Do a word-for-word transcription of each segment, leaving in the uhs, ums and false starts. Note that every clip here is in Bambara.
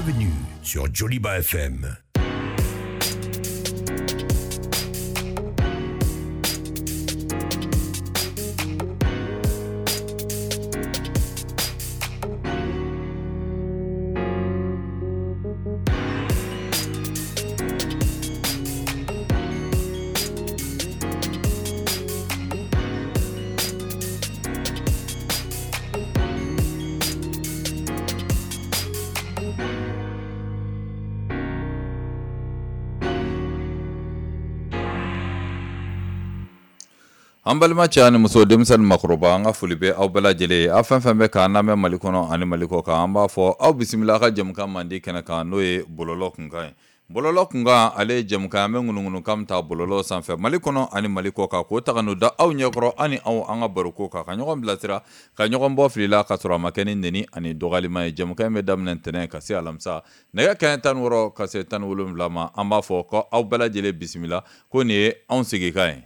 Bienvenue sur Joliba F M. An balima cɛ ani muso, denmisɛnnin, makɔrɔba, an ka foli bɛ aw bɛɛ lajɛlen ye. Aw fɛn fɛn bɛ k'an lamɛn Mali kɔnɔ ani Mali kɔ kan, an b'a fɔ aw bisimila aw ka jɛmukan mandi kɛnɛ kan, n'o ye bɔlɔlɔ kunkan ye. Bɔlɔlɔ kunkan, ale ye jɛmukan an bɛ ŋunuŋunukan ta bɔlɔlɔ sanfɛ Mali kɔnɔ ani Mali kɔ kan, k'o ta ka n'o da aw ɲɛkɔrɔ, ani aw an ka baroko kan, ka ɲɔgɔn bilasira, ka ɲɔgɔn bɔ fili la, ka sɔrɔ a ma kɛ ni neni ani dɔgɔyalima ye. Jɛmukan in bɛ daminɛ ntɛnɛn ka se alamisa nɛgɛ kanɲɛ tan ni wɔɔrɔ ka se tan ni wolonwula ma. An b'a fɔ ko aw bɛɛ lajɛlen bisimila, ko nin ye anw sigikan ye.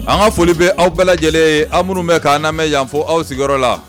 An ka foli bɛ aw bɛɛ lajɛlen ye, aw minnu bɛ k'an lamɛn yan fo aw sigiyɔrɔ la.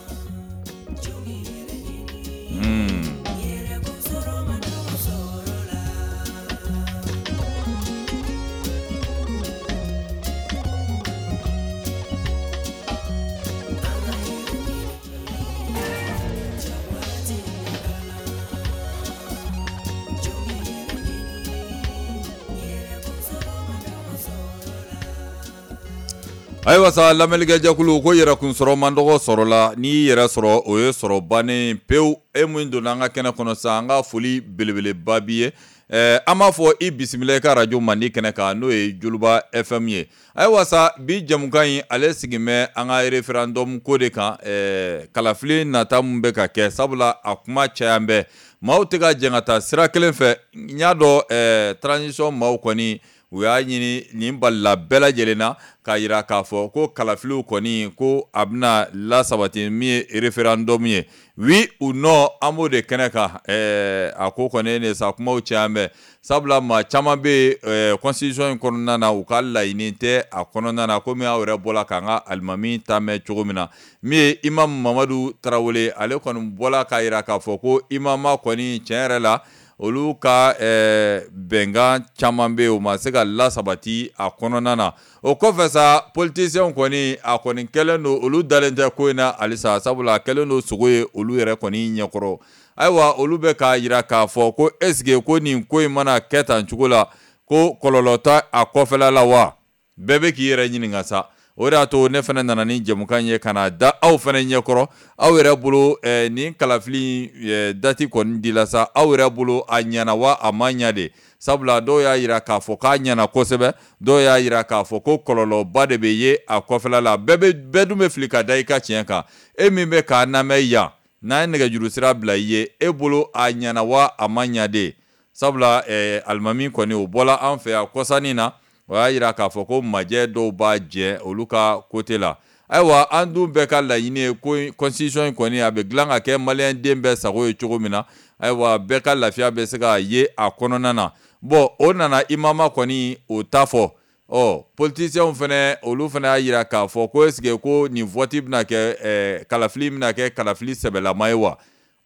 Ayiwa sa, lamɛnlikɛjɛkulu ko yɛrɛkun sɔrɔ man dɔgɔ sɔrɔ la, n'i y'i yɛrɛ sɔrɔ o ye sɔrɔ bannen pewu. E min donna an ka kɛnɛ kɔnɔ sa, an ka foli belebeleba b'i ye. Ɛɛ an b'a fɔ i bisimila i ka arajo mandi kɛnɛ kan, n'o ye Joliba F M ye. Ayiwa sa, bi jɛmukan in ale sigin bɛ an ka référendum ko de kan, ɛɛ kalafili nata min bɛ ka kɛ, sabula a kuma caya bɛ, maaw tɛ ka jɛn ka taa sira kelen fɛ. N y'a dɔn ɛɛ transition maaw kɔni u y'a ɲini nin balila bɛɛ lajɛlen na k'a jira k'a fɔ ko kalafiliw kɔni ko a bɛna lasabati min ye référendum ye, oui ou non, an b'o de kɛnɛ kan. Ɛɛ a ko kɔni ne sa, kumaw caya bɛ, sabula maa caman bɛ yen constitution in kɔnɔna na, u ka laɲini tɛ a kɔnɔna na, komi aw yɛrɛ bɔra k'an ka alimami ta mɛn cogo min na. Min ye Imam Mamadu Tarawele, ale kɔni bɔra k'a jira k'a fɔ ko imama kɔni tiɲɛ yɛrɛ la, olu ka bɛnkan caman bɛ yen, u ma se ka lasabati a kɔnɔna na. O kɔfɛ sa, politiciens kɔni a kɔni kɛlen don, olu dalen tɛ ko in na halisa, sabula a kɛlen don sogo ye olu yɛrɛ kɔni ɲɛkɔrɔ. Ayiwa, olu bɛ k'a jira k'a fɔ ko est ce que ko nin ko in mana kɛ tan cogo la, ko kɔlɔlɔ tɛ a kɔfɛla la wa? Bɛɛ bɛ k'i yɛrɛ ɲininka sa. O de y'a to ne fana nana ni jɛmukan ye ka na da aw fana ɲɛkɔrɔ. Aw yɛrɛ bolo, nin kalafili date kɔni dila sa, aw yɛrɛ bolo a ɲɛna wa a ma ɲɛ de? Sabula dɔw y'a jira k'a fɔ k'a ɲɛna kosɛbɛ, dɔw y'a jira k'a fɔ ko kɔlɔlɔba de bɛ ye a kɔfɛla la. Bɛɛ bɛ bɛɛ dun bɛ fili ka da i ka tiɲɛ kan. E min bɛ k'a lamɛn yan, n'an ye nɛgɛjuru sira bila i ye, e bolo a ɲɛna wa a ma ɲɛ de? Sabula alimami kɔni o bɔla an fɛ yan kɔsannin na, o y'a jira k'a fɔ ko majɛ dɔw b'a jɛ olu ka côté la. Ayiwa, an dun bɛɛ ka laɲini ye ko constitution in kɔni a bɛ dilan ka kɛ maliyɛn den bɛɛ sago ye cogo min na, ayiwa, bɛɛ ka lafiya bɛ se ka ye a kɔnɔna na. Bon, o nana imama kɔni o ta fɔ. Ɔ politiciens fana, olu fana y'a jira k'a fɔ ko est ce que ko nin vote bɛna kɛ ɛɛ kalafili bɛna kɛ kalafili sɛbɛlama ye wa?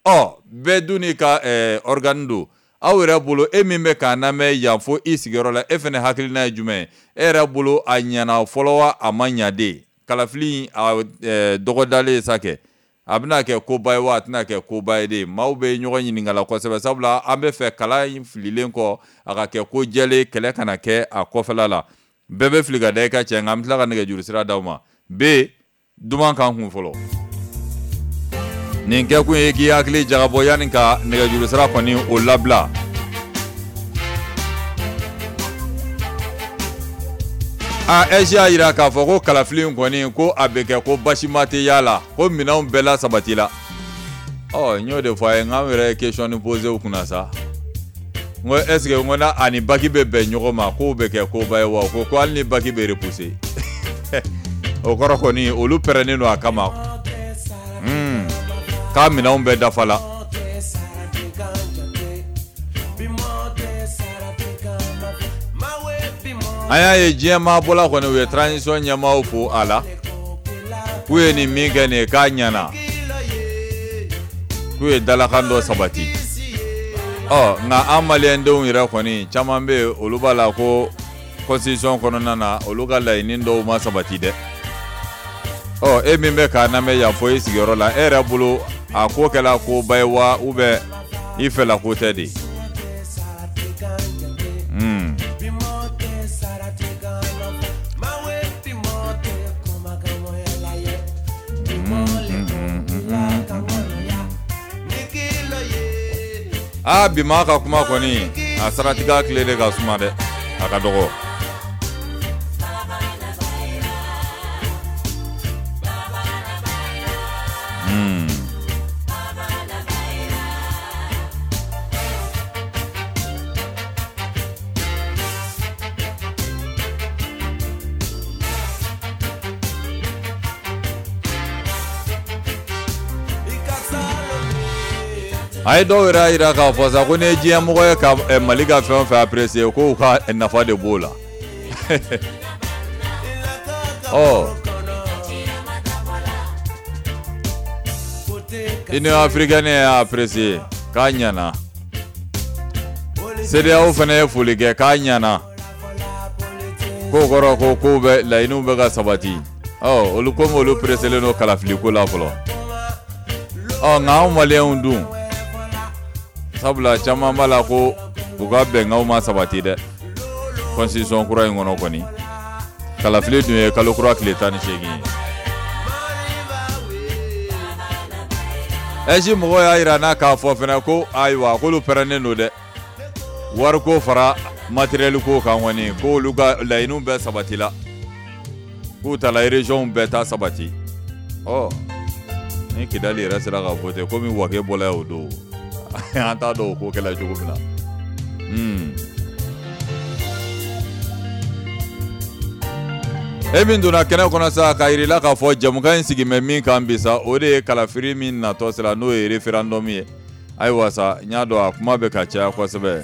Ɔ bɛɛ dun n'i ka ɛɛ organe don. Aw yɛrɛ bolo, e min bɛ k'a lamɛn yan fo i sigiyɔrɔ la, e fana hakilina ye jumɛn ye? E yɛrɛ bolo a ɲɛna fɔlɔ wa a ma ɲa de? Kalafili a dɔgɔdalen sa kɛ, a bɛna kɛ koba ye wa a tɛna kɛ koba ye de? Maaw bɛ ɲɔgɔn ɲininka la kosɛbɛ, sabula an bɛ fɛ kala in fililen kɔ a ka kɛ ko jɛlen, kɛlɛ kana kɛ a kɔfɛla la. Bɛɛ bɛ fili ka da i ka cɛ, nka an bɛ tila ka nɛgɛjuru sira d'aw ma. B duman kan kun fɔlɔ, nin kɛkun ye k'i hakili jagabɔ yanni ka nɛgɛjuru sira kɔni o labila. A A I E S y'a jira k'a fɔ ko kalafili in kɔni ko a bɛ kɛ ko basima tɛ y'a la, ko minɛnw bɛɛ la sabati la. Ɔ n y'o de fɔ a ye, n k'anw yɛrɛ ye question posé u kunna sa, n ko est ce que n ko n'a ani bac bɛ bɛn ɲɔgɔn ma, k'o bɛ kɛ koba ye wa? Ko ko hali ni bac bɛ repousser, o kɔrɔ kɔni olu pɛrɛnnen don a kama hmm. k'a minɛnw bɛɛ dafa la. An y'a ye diɲɛ maabɔla kɔni u ye transition ɲɛmaaw fo a la, k'u ye nin min kɛ nin ye k'a ɲɛna, k'u ye dalakan dɔ sabati. Ɔ nka an maliyɛndenw yɛrɛ kɔni caman bɛ yen, olu b'a la ko constitution kɔnɔna na, olu ka laɲini dɔw ma sabati dɛ. Ɔ e min bɛ k'a lamɛn yan fo i sigiyɔrɔ la, e yɛrɛ bolo a ko kɛla koba ye wa, ou bien i fɛla ko tɛ de? Hmm. Aa, bi maa ka kuma kɔni a saratigɛ tile de ka suma dɛ, a ka dɔgɔ. Hmm. A ye dɔw yɛrɛ y'a jira k'a fɔ sa ko n'i ye diɲɛmɔgɔ ye ka Mali ka fɛn o fɛn apprécier, k'u ka nafa de b'o la. Ɔ Union africaine y'a apprécié k'a ɲɛna. CEDEAO fana ye foli kɛ k'a ɲɛna. K'o kɔrɔ ko kow bɛ laɲiniw bɛ ka sabati. Ɔ olu komi olu pressélen don kalafiliko la fɔlɔ. Ɔ nka anw maliyɛnw dun, sabula caman b'a la ko u ka bɛnkanw ma sabati dɛ. Constitution kura in kɔnɔ kɔni, kalafili dun ye kalo kura tile tan ni seegin ye. Ɛsi mɔgɔw y'a jira n'a k'a fɔ fana ko ayiwa k'olu pɛrɛnnen don dɛ. Wariko fara matériel ko kan kɔni, k'olu ka laɲiniw bɛɛ sabatila. K'u taara région bɛɛ ta sabati. Ɔ ni Kidali yɛrɛ sera ka voter komi Wake bɔla yen o don, an t'a dɔn o ko kɛla cogo min na. Hmm. E min donna kɛnɛ kɔnɔ sa k'a yir'i la k'a fɔ jɛmukan in sigi bɛ min kan bi sa, o de ye kalafili min natɔ sera n'o ye référendum ye. Ayiwa sa, n y'a dɔn a kuma bɛ ka caya kosɛbɛ.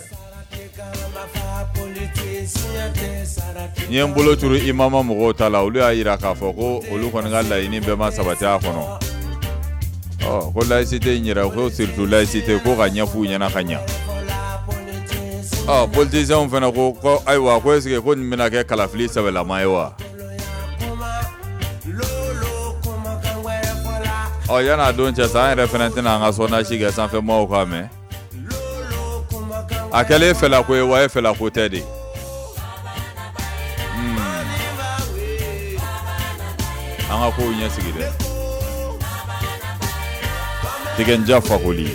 N ye n bolo turu i mama mɔgɔw ta la, olu y'a yira k'a fɔ ko olu kɔni ka laɲini bɛɛ ma sabati a kɔnɔ. Ɔ ko laïcité in yɛrɛ, ko surtout laïcité ko ka ɲɛf'u ɲɛna ka ɲa. Ɔ politiciens fana ko ko ayiwa ko est ce que ko nin bɛna kɛ kalafili sɛbɛlama ye wa? Ɔ yan'a don cɛ sa, an yɛrɛ fana tɛna an ka sondage kɛ sanfɛmaaw k'a mɛn. A kɛlen fɛlako ye wa e fɛlako tɛ de. Hmm. An ka kow ɲɛsigi dɛ. Tigɛnja Fakoli.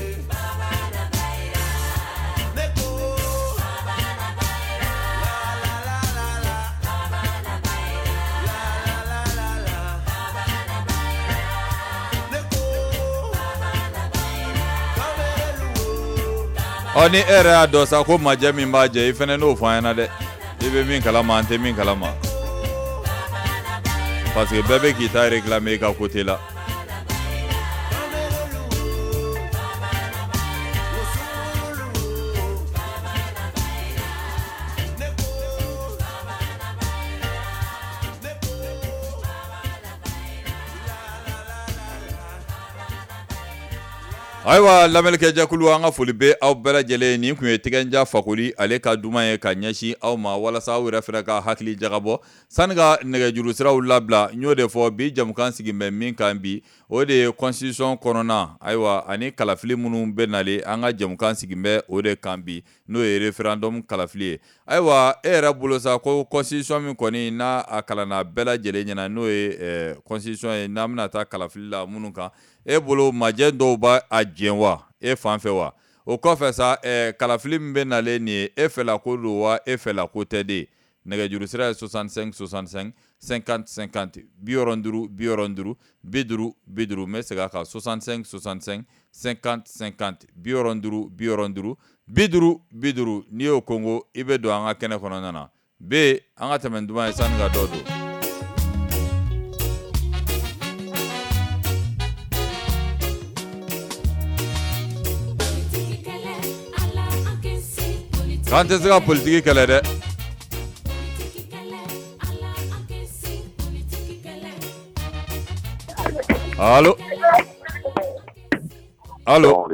Ɔ ni e yɛrɛ y'a dɔn sa ko majɛ min b'a jɛ, i fana n'o fɔ an ɲɛna dɛ. I bɛ min kalama, an tɛ min kalama. Parce que bɛɛ bɛ k'i ta réclamer i ka côté la. Ayiwa lamɛnnikɛjɛkulu, an ka foli bɛ aw bɛɛ lajɛlen. Nin tun ye Tigɛnja Fakoli ale ka duman ye ka ɲɛsin aw ma walasa aw yɛrɛ fana ka hakili jagabɔ. Sani ka nɛgɛjuru siraw labila, n y'o de fɔ bi jɛmukan sigi bɛ min kan bi, o de ye constitution kɔnɔna, ayiwa ani kalafili minnu bɛ nalen, an ka jɛmukan sigi bɛ o de kan bi, n'o ye référendum kalafili ye. Ayiwa e yɛrɛ bolo sa ko constitution min kɔni n'a a kalanna bɛɛ lajɛlen ɲɛna, n'o ye constitution ye n'an bɛna taa kalafili la minnu kan, e bolo majɛ dɔw b'a a jɛn wa e fan fɛ wa? O kɔfɛ sa, eh, kalafili min bɛ nalen nin ye, e fɛla ko don wa e fɛla ko tɛ de? Nɛgɛjuru sira ye soixante-cinq soixante-cinq cinquante cinquante, bi wɔɔrɔ duuru bi wɔɔrɔ duuru bi duuru bi duuru. N bɛ segin a kan, soixante-cinq soixante-cinq cinquante cinquante, bi wɔɔrɔ duuru bi wɔɔrɔ duuru bi duuru bi duuru. N'i y'o kongo, i bɛ don an ka kɛnɛ kɔnɔna na. B an ka tɛmɛ duman ye sani ka dɔ don. K'an tɛ se ka politiki kɛlɛ dɛ. Allo, allo,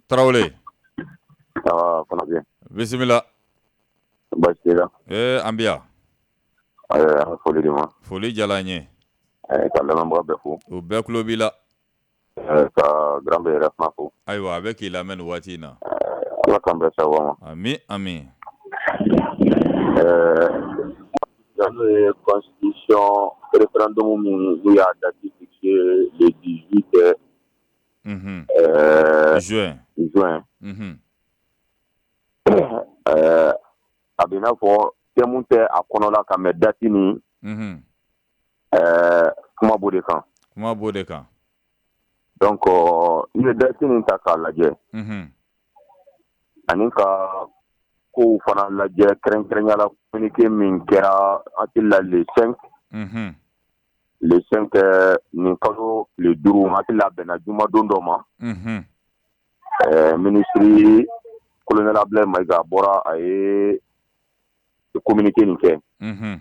Tarawele. Bisimila. Baasi t'i la? Ee an bɛ yan. An ka foli d'i ma. Foli diyara n ye. Ka lamɛnbaga bɛɛ fo. U bɛɛ tulo b'i la. Ka grand bɛɛ yɛrɛ fana fo. Ayiwa a bɛ k'i lamɛn nin waati in na. Ala k'an bɛɛ sababu ma. Ami ami. Ɛɛ n'o ye constitution référendum min n'u y'a date fixée le dix-huit mm-hmm. euh, juin. Juin. Mm-hmm. Euh, a bɛ i n'a fɔ thème tɛ a kɔnɔ la ka mɛn date nin. Mm-hmm. Euh, kuma b'o de kan. Kuma b'o de kan. Donc i ye date nin ta k'a lajɛ. Mm-hmm. Ani ka kow fana lajɛ kɛrɛnkɛrɛnya la communiqué min kɛra hakili la le cinq. Mm-hmm. Le cinq nin kalo tile duuru, hakili la bɛnna jumadon dɔ ma. Mm-hmm. Euh, ministre colonel Abdoulaye Maïga bɔra a ye communiqué nin kɛ. Mm-hmm.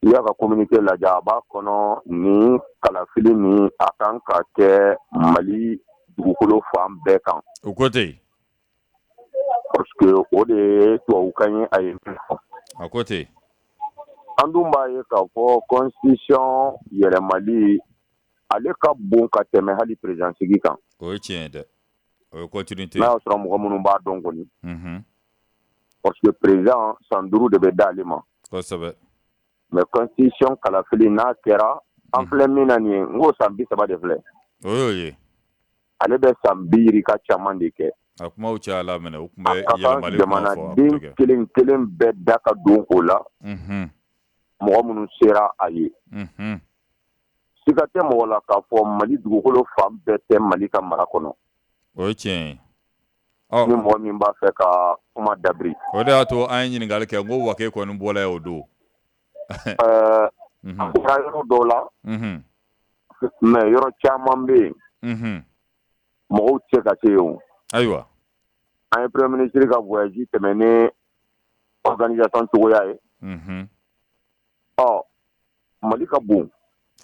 I y'a ka communiqué lajɛ, a b'a kɔnɔ ni kalafili ni a kan ka kɛ Mali dugukolo fan bɛɛ kan. O ko ten. Parce que o de ye tubabukan ye a ye min fɔ. A ko ten. An dun b'a ye k'a fɔ constitution yɛlɛmali, ale ka bon ka tɛmɛ hali président sigi kan. O ye tiɲɛ ye dɛ. O ye continuité. N'a y'a sɔrɔ mɔgɔ minnu b'a dɔn kɔni. Unhun. Parce que président, san duuru de bɛ d'ale ma. Kosɛbɛ. Mais constitution kalafili n'a kɛra, an filɛ min na nin ye, n ko san bi saba de filɛ. O y'o ye. Ale bɛ san bi yirika caman de kɛ. A kumaw cayala minɛ, o tun bɛ A ka kan yɛlɛmali kuma fɔ, a tun tɛ jamanaden kɛ. kelen kelen bɛɛ da ka don o la. Unhun. Mɔgɔ minnu sera a ye. Unhun. Siga tɛ mɔgɔ la k'a fɔ Mali dugukolo fan bɛɛ tɛ Mali ka mara kɔnɔ. O ye tiɲɛ ye. Ɔ Ni mɔgɔ min b'a fɛ ka kuma dabiri. O de y'a to an ye ɲininkali kɛ, n ko Wake kɔni bɔla yen o don. Ɛɛ Unhun. A bɔra yɔrɔ dɔw la. Unhun. Mais yɔrɔ caman bɛ yen. Unhun. Mɔgɔw tɛ se ka se yen o. Ayiwa. An ye premier ministre ka voyage tɛmɛ ni organisation cogoya ye. Unhun. Ɔ Mali ka bon.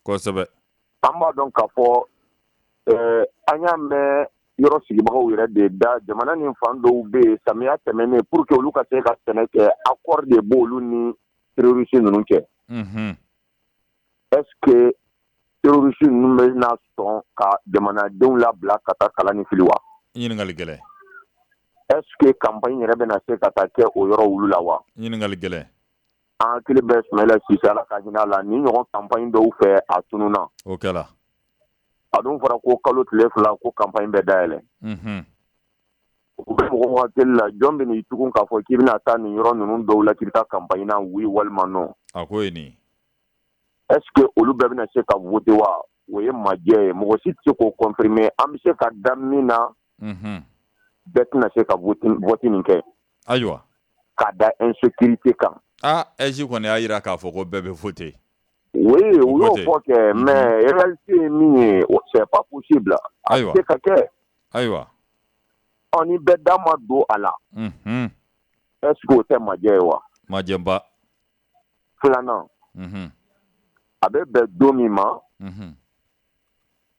Kosɛbɛ. An b'a dɔn k'a fɔ ɛɛ an y'a mɛn yɔrɔ sigibagaw yɛrɛ de da, jamana ni fan dɔw bɛ yen, samiya tɛmɛnen, pour que olu ka se ka sɛnɛ kɛ, accord de b'olu ni terroriste ninnu cɛ. Unhun. Est ce que terroriste ninnu bɛna sɔn ka jamanadenw labila ka taa kala ni fili wa? Ɲininkali gɛlɛn. Est ce que campagne yɛrɛ bɛna se ka taa kɛ o yɔrɔ olu la wa? Ɲininkali gɛlɛn. An hakili bɛ Sumayila Sise, Ala ka hinɛ a la, ni ɲɔgɔn campagne dɔw fɛ, a tununna. O kɛra. A dun fɔra ko kalo tile fila ko campagne bɛ dayɛlɛ. Unhun. U bɛ mɔgɔw hakili la, jɔn bɛ n'i tugun k'a fɔ k'i bɛna taa nin yɔrɔ ninnu dɔw la, k'i bɛ taa campagne na, oui walima non? A ko ye nin. Est ce que olu bɛɛ bɛna se ka voter wa? O ye majɛ ye, mɔgɔ si tɛ se k'o confirmer. An bɛ se ka da min na. Unhun. Bɛɛ tɛna se ka vote vote nin kɛ. Ayiwa. Ka da insécurité kan. Ah, A I G kɔni y'a jira k'a fɔ ko bɛɛ bɛ voter. Oui, O u y'o ko ten. fɔ kɛ, mais réalité ye min ye, c'est pas possible. A Ayiwa. tɛ se ka kɛ. Ayiwa. Ɔ ni bɛɛ da ma don a la. Unhun. Est ce que o tɛ majɛ ye wa? Majɛba. Filanan. Unhun. A bɛ bɛn don min ma. Unhun.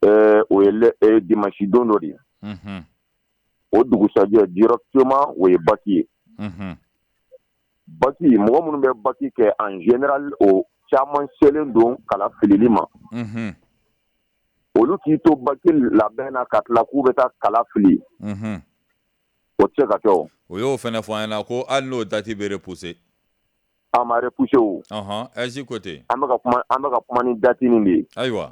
Ɛɛ o ye le dimanche don dɔ de ye. Unhun. O dugusajɛ directement, o ye bac ye. Unhun. Bac, mɔgɔ minnu bɛ bac kɛ, en général, o caman selen don kala filili ma. Unhun. Olu k'i to bac labɛn na ka tila k'u bɛ taa kala fili. Unhun. O tɛ se ka kɛ o. O y'o fana fɔ an ɲɛna ko hali n'o date bɛ repousser. A ma repousser o. Ɔnhɔn, A I G ko ten. An bɛ ka kuma an bɛ ka kuma ni date nin de ye. Ayiwa.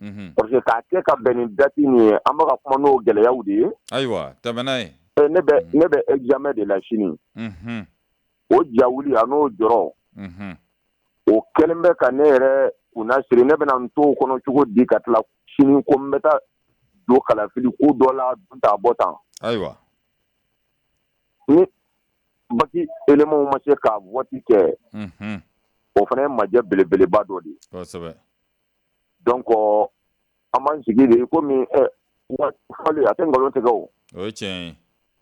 Unhun. Parce que k'a kɛ ka bɛn ni date nin ye, an bɛ ka kuma n'o gɛlɛyaw de ye. Ayiwa, tɛmɛ n'a ye. Ne bɛ ne bɛ examen de la sini. Unhun. O jawuli a n'o jɔrɔ. Unhun. O kɛlen bɛ ka ne yɛrɛ kunna siri, ne bɛna n to o kɔnɔ cogo di ka tila sini ko n bɛ taa don kalafili ko dɔ la, dun ta bɔ tan? Ayiwa. Ni bac éléments ma se ka vote kɛ. Unhun. O fana ye majɛ belebeleba dɔ de ye. Kosɛbɛ. Donc an b'an sigi de komi ɛ fɔli a tɛ nkalon tigɛ o. O ye tiɲɛ ye.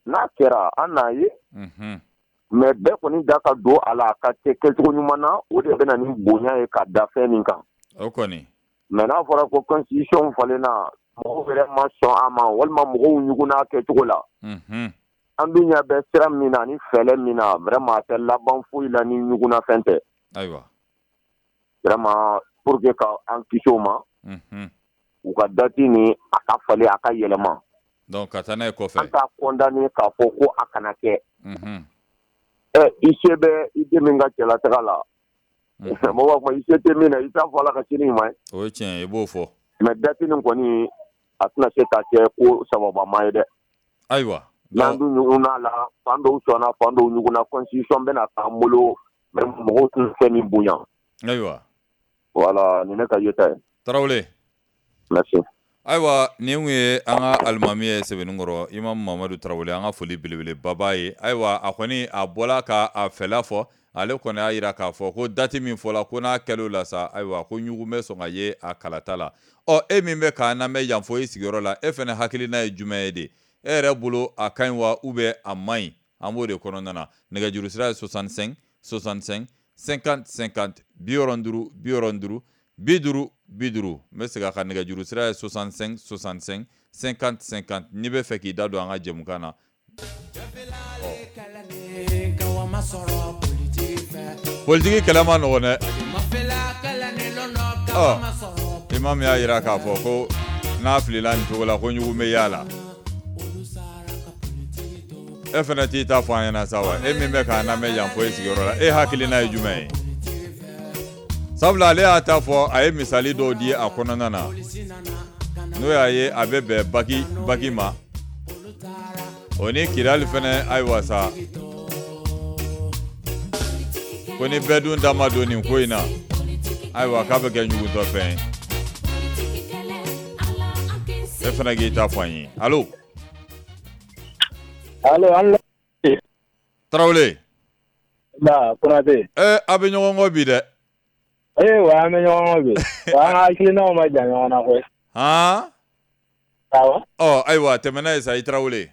N'a kɛra, an n'a ye. Unhun. Mais bɛɛ kɔni da ka don a la, a ka kɛ kɛcogo ɲuman na, o de bɛ na ni bonya ye ka da fɛn nin kan. O kɔni. Mais n'a fɔra ko constitution falenna, mɔgɔw yɛrɛ ma sɔn a ma, walima mɔgɔw ɲugunna kɛcogo la. Unhun. An dun ɲɛ bɛ sira min na ni fɛlɛ min na, vraiment a tɛ laban foyi la ni ɲugunna fɛn tɛ. Ayiwa. Vraiment, pour que ka an kisi o ma. Unhun. U ka date nin, a ka falen, a ka yɛlɛma. Donc ka taa n'a ye kɔfɛ. An t'a condamner k'a fɔ ko a kana kɛ. Unhun. Ɛ i se bɛ i den min ka cɛlataga la. Mɔgɔw b'a fɔ i se tɛ min na, i t'a fɔ Ala ka sini ɲuman ye. O ye tiɲɛ ye, i b'o fɔ. Mais date nin kɔni, a tɛna se ka kɛ ko sababama ye dɛ. Ayiwa. N'an dun ɲugunna la, fan dɔw sɔnna, fan dɔw ɲugunna, constitution bɛna k'an bolo, mais mɔgɔw tɛna fɛn min bonya. Ayiwa. Voilà, nin ne ka yeta ye. Tarawele. Merci. Ayiwa, nin kun ye an ka alimami ye Sɛbɛnninkɔrɔ, Imam Mamadu Tarawele, an ka foli belebeleba b'a ye. Ayiwa, a kɔni a bɔla ka a fɛla fɔ, ale kɔni y'a jira k'a fɔ ko date min fɔla, ko n'a kɛlen la sa, ayiwa, ko ɲugun bɛ sɔn ka ye a kalata la. Ɔ e min bɛ k'an lamɛn yan fɔ i sigiyɔrɔ la, e fana hakilina ye jumɛn ye de? E yɛrɛ bolo a ka ɲi wa ou bien a man ɲi? An b'o de kɔnɔna na. Nɛgɛjuru sira ye soixante-cinq soixante-cinq cinquante cinquante, bi wɔɔrɔ ni duuru bi wɔɔrɔ ni duuru bi duuru bi duuru. N bɛ segin a kan, nɛgɛjuru sira ye soixante-cinq soixante-cinq cinquante cinquante. N'i bɛ fɛ k'i da don an ka jɛmukan na. Politiki kɛlɛ ma nɔgɔn dɛ. Ɔ imam y'a jira k'a fɔ ko n'a filila nin cogo la ko ɲugun bɛ y'a la. E fana t'i ta fɔ an ɲɛna sa wa, e min bɛ k'an lamɛn yan fo e sigiyɔrɔ la, e hakilina ye jumɛn ye? Sabula ale y'a ta fɔ, a ye misali dɔw di a kɔnɔna na, n'o y'a ye a bɛ bɛn baki baki ma, o ni Kidali fana. Ayiwa sa, ko ni bɛɛ dun da ma don nin ko in na, ayiwa k'a bɛ kɛ ɲugutɔ fɛn ye. E fana k'i ta fɔ an ye. Allo? Allo, an Tarawele. Ba Konate. Eh, a bɛ ɲɔgɔn kɔ bi dɛ. Eh, wa an bɛ ɲɔgɔn kɔ bi. Wa an ka hakilinaw ma jan ɲɔgɔn na koyi. Han? Awɔ. Ɔ ayiwa, tɛmɛ n'a ye sa, i Tarawele.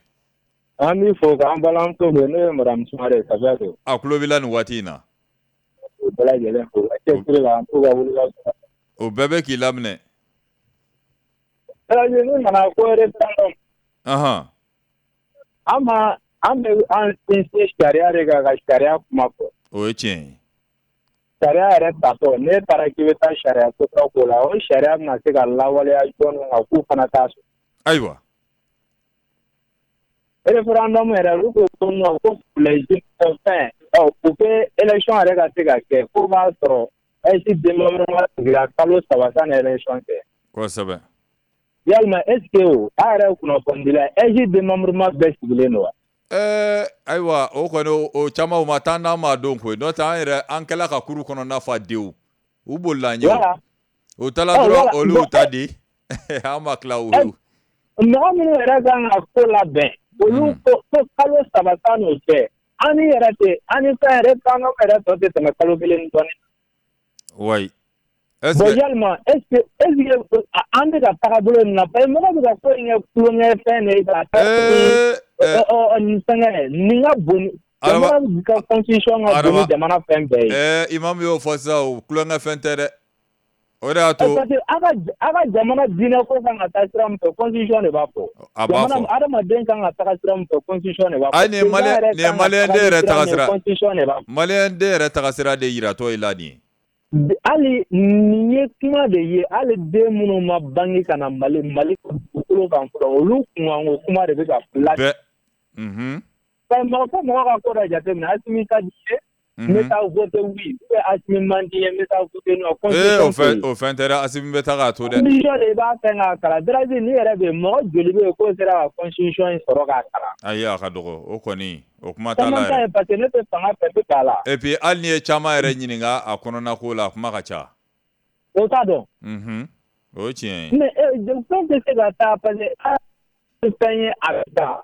An b'i fo k'an balimamuso bɛ, n'o ye madame Sumare Safiyatu. A tulo b'i la nin waati in na. O bɛɛ lajɛlen fo ka cɛsiri la, an k'u ka wulikajɔ la. O bɛɛ bɛ k'i laminɛ. Ne nana ko référendum. Ahan. An ma an bɛ an sinsin sariya de kan ka sariya kuma fɔ. O ye tiɲɛ ye. Sariya yɛrɛ tatɔ, n'e taara k'i bɛ taa sariya sɔsɔ ko la, o sariya bɛna se ka lawaleya jɔn kan k'u fana t'a sɔrɔ. Ayiwa. Référendum yɛrɛ, olu ko ko non, ko les fɛn ɔ pour que élection yɛrɛ ka se ka kɛ, f'o b'a sɔrɔ A E S démembrement sigira kalo saba sanni élection cɛ. Kosɛbɛ. Yalima est ce que o a yɛrɛ ye kunnafonidila ye, A E S démembrement bɛɛ sigilen don wa? Ɛɛ ayiwa, o kɔni o caman o ma taa n'an m'a dɔn koyi, n'o tɛ an yɛrɛ an kɛla ka kuru kɔnɔna fa dewu, u bolila an ɲɛ o. U taara dɔrɔn, olu y'u ta di, an ma tila o. Mɔgɔ minnu yɛrɛ kan ka ko labɛn, olu ko ko kalo saba san'o cɛ, an ni yɛrɛ tɛ an ni fɛn référendum yɛrɛ tɔ tɛ tɛmɛ kalo kelen ni dɔɔnin. Wayi. Bon, yalima est ce que est ce que an bɛ ka taga bolo nin na, parce que mɔgɔ bɛ ka ko in kɛ tulonkɛ fɛn de ye ka taa nin fɛngɛ nin ka bon, jamana ka constitution ka bon ni jamana fɛn bɛɛ ye. Ɛɛ imam y'o fɔ sisan, o tulonkɛ fɛn tɛ dɛ. O de y'a to. Parce que a ka a ka jamana diinɛ ko kan ka taa sira min fɛ, constitution de b'a fɔ. A b'a fɔ. Adamaden kan ka taga sira min fɛ, constitution de b'a fɔ. Ayi, nin ye maliyɛn nin ye maliyɛn den yɛrɛ taga sira. Constitution de b'a fɔ. Maliyɛn den yɛrɛ taga sira de yiratɔ i la nin ye. Hali nin ye kuma de ye, hali den minnu ma bange ka na Mali Mali dugukolo kan fɔlɔ, olu kunkanko kuma de bɛ ka la. Bɛɛ. Unhun. Mɔgɔ fo mɔgɔ ka ko dɔ jateminɛ, Asimi ka di ye, n bɛ taa voter oui, ou bien Asimi man di ye, n bɛ taa voter non. Ee o fɛn o fɛn tɛ dɛ, Asimi bɛ taa k'a to dɛ. Constitution de i b'a fɛn k'a kalan, Darazi ni yɛrɛ bɛ yen, mɔgɔ joli bɛ yen k'o sera ka constitution in sɔrɔ k'a kalan? Ayi, a ka dɔgɔ, o kɔni o kuma t'a la yɛrɛ. Caman ta ye parce que ne tɛ fanga fɛ, n bɛ k'a la. Et puis hali n'i ye caman yɛrɛ ɲininka a kɔnɔna ko la, a kuma ka ca. O t'a dɔn. Unhun, o ye tiɲɛ ye. Mais fɛn tɛ se ka taa parce que fɛn ye a bɛ taa.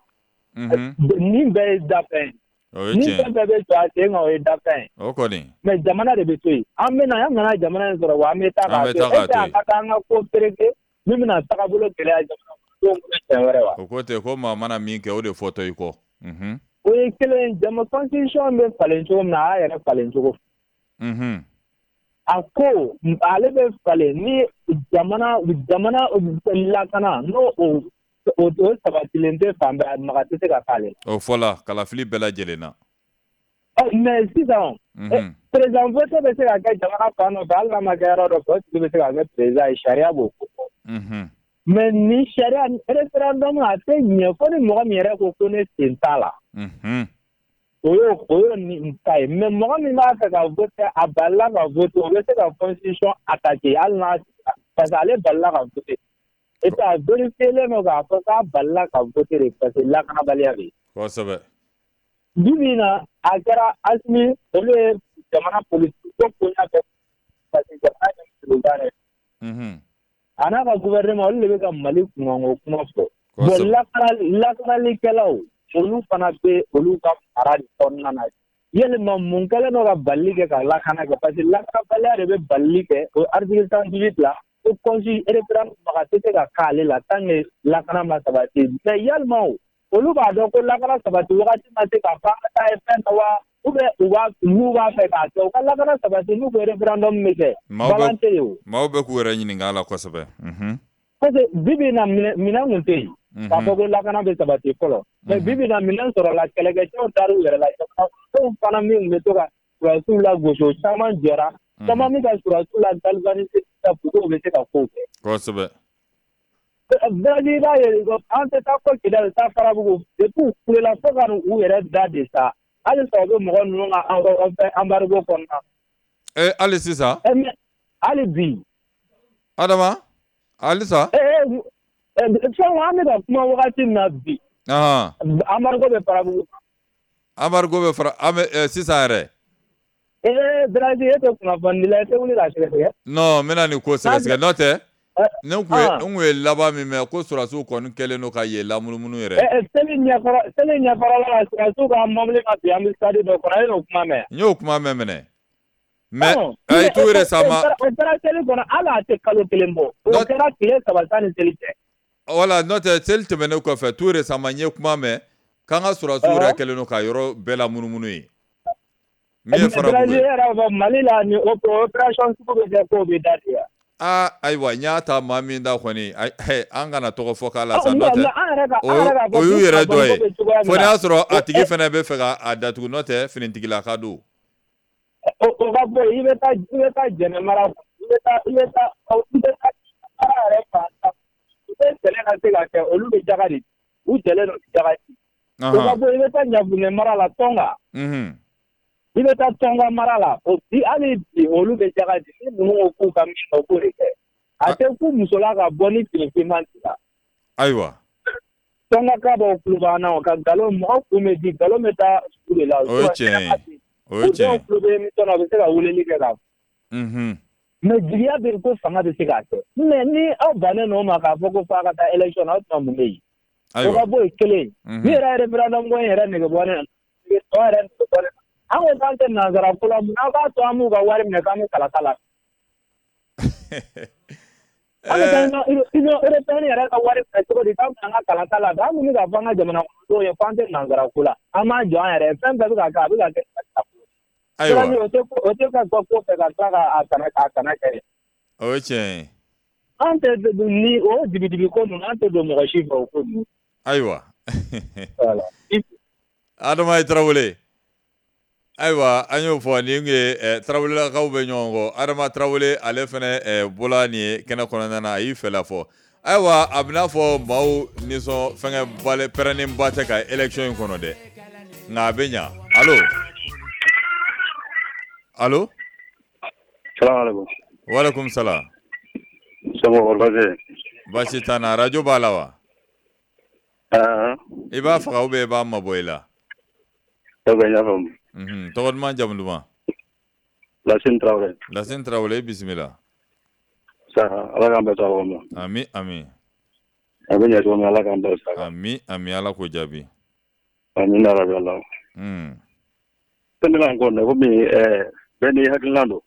Unhun. Nin bɛɛ ye dafɛn ye. O ye tiɲɛ ye. Ni fɛn bɛɛ bɛ jɔ a sen kan, o ye dafɛn ye. O kɔni. Mais jamana de bɛ to yen. An bɛ na, an nana jamana in sɔrɔ wa an bɛ taa k'a to yen. Est ce que a ka kan an ka ko pereke min bɛna tagabolo gɛlɛya jamana kɔnɔdenw bolo siɲɛ wɛrɛ wa? O ko ten ko maa mana min kɛ, o de fɔtɔ i kɔ. Unhun. O ye kelen ye, jama constitution bɛ falen cogo min na, a y'a yɛrɛ falen cogo. Unhun. A ko ale bɛ falen ni jamana jamana lakana n'o o o sabatilen tɛ fan bɛɛ, maga tɛ se ka k'ale la. O fɔla kalafili bɛɛ lajɛlen na. Mais sisan, président vote bɛ se ka kɛ jamana fan dɔ fɛ, hali n'a ma kɛ yɔrɔ dɔ fɛ, o tigi bɛ se ka kɛ président ye, sariya b'o ko fɔ. Mais ni sariya référendum a tɛ ɲɛ fo ni mɔgɔ min yɛrɛ ko ko ne sen t'a la. O y'o o y'o nin ta ye, mais mɔgɔ min b'a fɛ ka voter, a balila ka voter, o bɛ se ka constitution attaquer hali n'a, parce que ale balila ka voter. Et puis a vérifié len don k'a fɔ k'a balila ka voter de parce que lakanabaliya bɛ yen. Kosɛbɛ. Bi bi in na, a kɛra Asimi, olu ye jamana politique ko koɲa bɛɛ parce que jamana ye président yɛrɛ. Unhun. A n'a ka gouvernement, olu de bɛ ka Mali kunkanko kuma fɔ. Bon, lakanalikɛlaw, olu fana bɛ olu ka mara de kɔnɔna na. Yalima mun kɛlen don ka balili kɛ ka lakana kɛ, parce que lakanabaliya de bɛ balili kɛ. O article cent dix-huit la, ko constitution référendum maga tɛ se ka k'ale la tant que lakana ma sabati. Mais yalima o, olu b'a dɔn ko lakana sabati wagati ma se k'a fɔ an ka taa ye fɛn na wa? Ou bien u b'a n'u b'a fɛ k'a kɛ u ka lakana sabati n'u ko référendum bɛ kɛ. Balan tɛ yen o. Maaw bɛ k'u yɛrɛ ɲininka a la kosɛbɛ. Parce que bi bi in na minɛn kun tɛ yen. K'a fɔ ko lakana bɛ sabati fɔlɔ. Mais bi bi in na minɛn sɔrɔla kɛlɛkɛcɛw taar'u yɛrɛ la. Jamanadenw fana min bɛ to ka sɔrɔdasiw lagosi o caman jɔra. Caman bɛ ka sɔrɔdasiw la galvaniser sisan pour que u bɛ se ka kow kɛ. Kosɛbɛ. Bɛɛ i b'a ye an tɛ taa fɔ Kidali taa Farabugu depuis u kulela fo ka n'u yɛrɛ da de sa. Halisa u bɛ mɔgɔ ninnu ka embargo kɔnɔna. Ee hali sisan. Hali bi. Adama halisa. Ee fɛn an bɛ ka kuma wagati min na bi. Embargo bɛ Farabugu. Embargo bɛ fara an bɛ sisan yɛrɛ. Ee Biraji e tɛ kunnafonidila ye, e tɛ wuli k'a sɛgɛsɛgɛ. Non n bɛna nin ko sɛgɛsɛgɛ n'o tɛ. Ne kun ye n kun ye laban min mɛn ko sɔrɔdasiw kɔni kɛlen don ka yen lamunumunu yɛrɛ. Ɛ seli ɲɛkɔrɔ seli ɲɛkɔrɔla la sɔrɔdasiw ka mobili ma bin ambassade dɔ kɔnɔ e y'o kuma mɛn. N y'o kuma mɛn minɛ. Mais ayi tout récemment. O kɛra seli kɔnɔ hali a tɛ kalo kelen bɔ. O kɛra tile saba sanni seli cɛ. Voilà n'o tɛ seli tɛmɛnen kɔfɛ tout récemment n ye kuma mɛn k'an ka sɔrɔdasiw yɛrɛ kɛlen don ka yɔrɔ bɛɛ lamunumunu yen. Min ye Farabugu ye. E yɛrɛ b'a fɔ Mali la ni opération sugu bɛ kɛ k'o bɛ da de wa. Aa ayiwa n y'a ta maa min da kɔni an kana tɔgɔ fɔ k'a la sa n'o tɛ o y'u yɛrɛ dɔ ye fo n'a y'a sɔrɔ a tigi fana bɛ fɛ k'a datugu n'o tɛ finitigilaka don. O ka bɔ yen i bɛ taa i bɛ taa Jɛnɛ mara i bɛ taa i bɛ taa i bɛ taa mara yɛrɛ fan u bɛ sɛnɛ ka se ka kɛ olu bɛ jaga de u jɛlen don jaga di. O ka bɔ yen i bɛ taa Ɲafunɛ mara la Tɔnka. I bɛ taa Tɔnka mara la o bi hali bi olu bɛ jaga di ni ninnu ko k'u ka min kɛ u k'o de kɛ a tɛ ku muso la ka bɔ ni fini finman t'i la. Ayiwa. Tɔnka ka bɔ kulo b'an na o ka nkalon mɔgɔ kun bɛ di nkalon bɛ taa sugu de la. O ye tiɲɛ ye o ye tiɲɛ ye. U dɔw tulo bɛ émission na u bɛ se ka weleli kɛ k'a fɔ. Mais jigiya bɛ yen ko fanga bɛ se k'a kɛ mais ni aw bannen don o ma k'a fɔ ko f'a ka taa élection na aw tɛna mun bɛ yen. O ka bɔ yen kelen ni yɛrɛ référendum ko in yɛrɛ nege bɔ ne na tɔ yɛrɛ nege bɔ ne na. An ko k'an tɛ nansara ko la mun aw b'a to an b'u ka wari minɛ k'an bɛ kalata la. An bɛ taa Union européenne yɛrɛ ka wari minɛ cogo di k'an bɛ an ka kalata la an kun bɛ k'a fɔ an ka jamana kɔnɔdenw ye k'an tɛ nansara ko la an b'an jɔ an yɛrɛ ye fɛn bɛɛ bɛ ka kɛ a bɛ ka kɛ. Ayiwa o tɛ o tɛ ka bɔ ko fɛ ka tila k'a kana k'a kana kɛ. O ye tiɲɛ ye. An tɛ ni o dibidibi ko ninnu an tɛ don mɔgɔ si fɛ o ko ninnu. Ayiwa. Adama Tarawele. Ayiwa an y'o fɔ nin ye Tarawelelakaw bɛ ɲɔgɔn kɔ Adama Tarawele ale fana bɔla nin ye kɛnɛ kɔnɔna na a y'i fɛla fɔ ayiwa a bɛna fɔ maaw nisɔn fɛngɛ bale pɛrɛnnenba tɛ ka élection in kɔnɔ dɛ nka a bɛ ɲa allo allo. Salamaleykum. Walekum salam. Somɔgɔw baasi tɛ? Baasi t'an na arajo b'a la wa? I b'a faga ou bien i b'a mabɔ i la? Ok n y'a faamu. Tɔgɔ duman jamu duman? Lasine Tarawele. Lasine Tarawele i bisimila. Saha Ala k'an bɛn sababa ma. Ami ami. A bɛ ɲɛ cogo min Ala k'an bɛn sababa. Ami ami Ala k'o jaabi. Amina rabi Ala. Fɛn bɛ k'an kɔnɔ komi bɛɛ n'i hakilina don.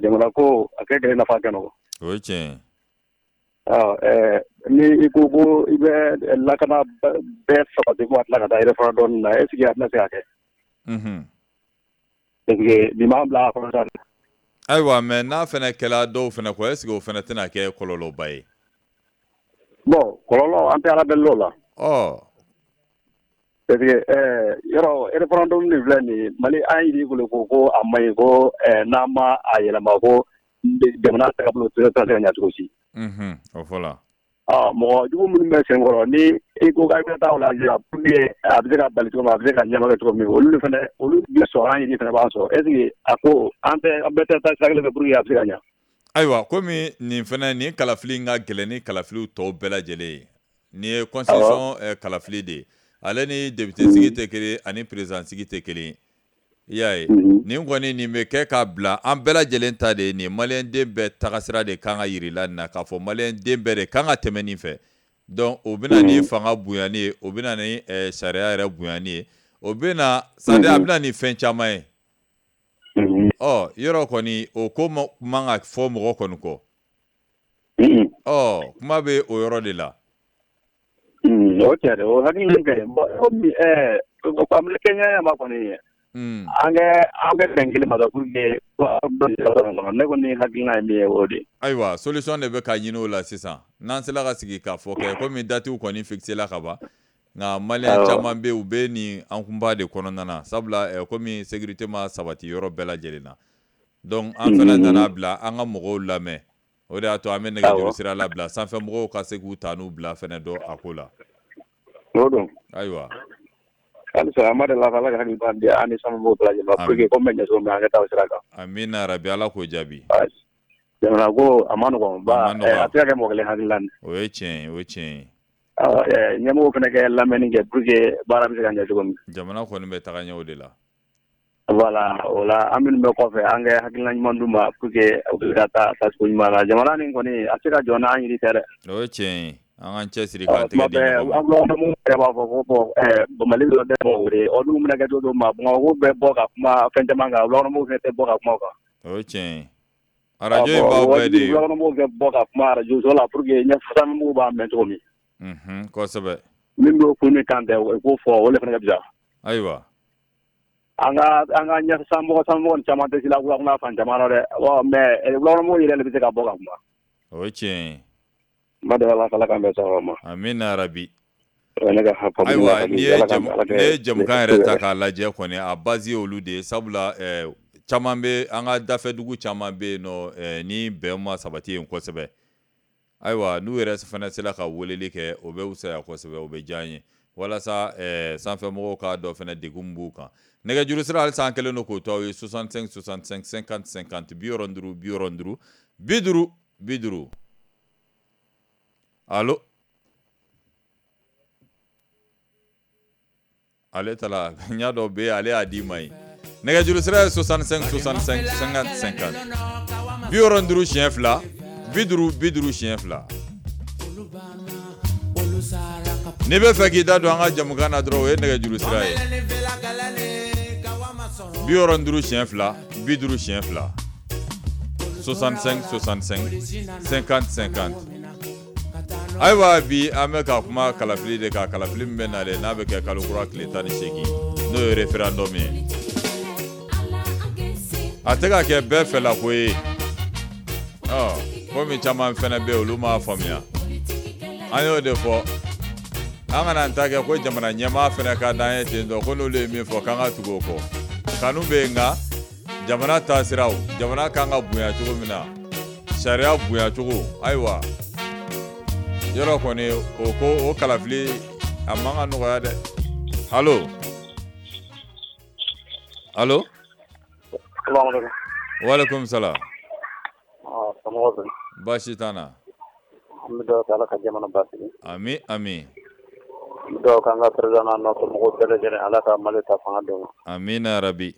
Jamana ko a kɛ kɛ nafa kɛ nɔgɔ. O ye tiɲɛ ye. Ni i ko ko i bɛ lakana bɛɛ sabati ko a tila ka taa référendum na est ce que a tɛna se ka kɛ? Parce que nin b'an bila a kɔnɔ sa. Ayiwa mais n'a fana kɛla dɔw fana kɔ est ce que o fana tɛna kɛ kɔlɔlɔba ye? Bon kɔlɔlɔ an tɛ Ala deli o la. Ɔ. Parce que yɔrɔ référendum nin filɛ nin ye Mali an yiri bolo ko ko a man ɲi ko n'an ma a yɛlɛma ko jamana tagabolo tɛ se ka ɲɛ cogo si. O fɔla. Mɔgɔ jugu minnu bɛ senkɔrɔ ni i ko k'a bɛ taa o la pour que a bɛ se ka bali cogo min a bɛ se ka ɲɛma kɛ cogo min olu fana olu bɛ sɔrɔ an yiri fana b'an sɔrɔ est ce que a ko an tɛ an bɛɛ tɛ taa sira kelen fɛ pour que a bɛ se ka ɲɛ. Ayiwa komi nin fana nin kalafili in ka gɛlɛn ni kalafiliw tɔw bɛɛ lajɛlen ye nin ye constitution kalafili de ye ale ni député sigi tɛ kelen ani président sigi tɛ kelen i y'a ye nin kɔni nin bɛ kɛ k'a bila an bɛɛ lajɛlen ta de ye nin maliyɛnden bɛɛ tagasira de kan ka yir'i la nin na k'a fɔ maliyɛnden bɛɛ de kan ka tɛmɛ nin fɛ donc o bɛ na ni fanga bonyani ye o bɛ na ni sariya yɛrɛ bonyani ye o bɛ na c'est à dire a bɛ na ni fɛn caman ye ɔ yɔrɔ kɔni o ko man ka fɔ mɔgɔ kɔni kɔ ɔ kuma bɛ o yɔrɔ de la. O tiɲɛ de o hakili ka ɲi komi kɛɲɛ ma kɔni ye. An kɛ an kɛ bɛn kelen ma dɔrɔn pour que ne kɔni hakilina ye min ye o de ye. Ayiwa solution de bɛ ka ɲini o la sisan n'an sera ka sigi k'a fɔ kɛ komi datiw kɔni fixé la ka ban nka maliyɛn caman bɛ yen u bɛ nin an kunba de kɔnɔna na sabula komi sécurité ma sabati yɔrɔ bɛɛ lajɛlen na donc an fana nana bila an ka mɔgɔw lamɛn o de y'a to an bɛ nɛgɛjuru sira labila sanfɛ mɔgɔw ka se k'u ta n'u bila fana dɔn a ko la. O don. Ayiwa. Halisa an b'a deli Ala ka hakili ɲuman di an ni sanfɛmɔgɔw bɛɛ lajɛlen ma pour que ko min bɛ ɲɛ cogo min na an ka taa o sira kan. Amina rabi Ala k'o jaabi. Jamana ko a ma nɔgɔn ba a tɛ se ka kɛ mɔgɔ kelen hakilina ye. O ye tiɲɛ ye o ye tiɲɛ ye. Ɲɛmɔgɔw fana kɛ lamɛnni kɛ pour que baara bɛ se ka ɲɛ cogo min. Jamana kɔni bɛ taga ɲɛ o de la. Voilà o la an minnu bɛ kɔfɛ an kɛ hakilina ɲuman d'u ma pour que u bɛ se ka taa taacogo ɲuman na jamana nin kɔni a tɛ se ka jɔ n'an yiri tɛ dɛ. O ye tiɲɛ ye. An k'an cɛsiri k'an tɛgɛ di ɲɔgɔn ma. An yɛrɛ b'a fɔ ko bon Mali dɔrɔn tɛ mɔgɔ wele olu bɛna kɛ cogo cogo ma Bamakɔ bɛ bɔ ka kuma fɛn caman kan wulakɔnɔmɔgɔw fɛnɛ tɛ bɔ ka kuma o kan. O ye tiɲɛ ye. Arajo in b'aw bɛɛ de ye. Wulakɔnɔmɔgɔw bɛ bɔ ka kuma arajo so la pour que ɲɛfɛ b'a mɛn cogo min. Unhun kosɛbɛ. Min b'o kun ni kan tɛ o k'o fɔ o de fana ka fisa. Ayiwa. An ka an ka ɲɛfɛ sanmɔgɔ sanmɔgɔ ni caman tɛ se la wulakɔnɔ fan caman na dɛ mais wulakɔnɔmɔgɔw yɛrɛ de bɛ se ka bɔ ka kuma. O ye tiɲɛ ye. Amina rabi. Ayiwa n'i ye jamukan yɛrɛ ta k'a lajɛ kɔni a base ye olu de ye sabula caman bɛ an ka dafɛdugu caman bɛ yen nɔ ni bɛn ma sabati yen kosɛbɛ ayiwa n'u yɛrɛ fana sera ka weleli kɛ o bɛ fisaya kosɛbɛ o bɛ diya an ye walasa sanfɛmɔgɔw k'a dɔn fana degun b'u kan nɛgɛjuru sira halisa an kɛlen don k'o to aw ye soixante-cinq soixante-cinq cinquante cinquante bi wɔɔrɔ ni duuru bi wɔɔrɔ ni duuru bi duuru bi duuru. Allo ale tala n y'a dɔn bɛ ale y'a d'i ma ye nɛgɛjuru sira ye soixante-cinq soixante-cinq cinquante cinquante bi wɔɔrɔ ni duuru siɲɛ fila bi duuru bi duuru siɲɛ fila n'i bɛ fɛ k'i da don an ka jamukan na dɔrɔn o ye nɛgɛjuru sira ye bi wɔɔrɔ ni duuru siɲɛ fila bi duuru siɲɛ fila soixante-cinq soixante-cinq cinquante cinquante. Ayiwa bi an bɛ ka kuma kalafili de kan kalafili min bɛ nalen n'a bɛ kɛ kalo kura tile tan ni seegin n'o ye référendum ye a tɛ ka kɛ bɛɛ fɛlako ye ɔ komi caman fana bɛ yen olu m'a faamuya an y'o de fɔ an kana an ta kɛ ko jamana ɲɛmaa fana ka d'an ye ten tɔ ko n'olu ye min fɔ k'an ka tugu o kɔ kanu bɛ yen nka jamana taasiraw jamana kan ka bonya cogo min na sariya bonya cogo ayiwa. Yɔrɔ kɔni o ko o kalafili a man ka nɔgɔya dɛ. Allo allo. Walekum salam. Baasi t'an na. An bɛ dugawu kɛ Ala ka jamana basigi. Ami ami. An bɛ dugawu kɛ an ka président n'a nɔfɛ mɔgɔw bɛɛ lajɛlen Ala ka Mali ta fanga d'u ma. Amina rabi.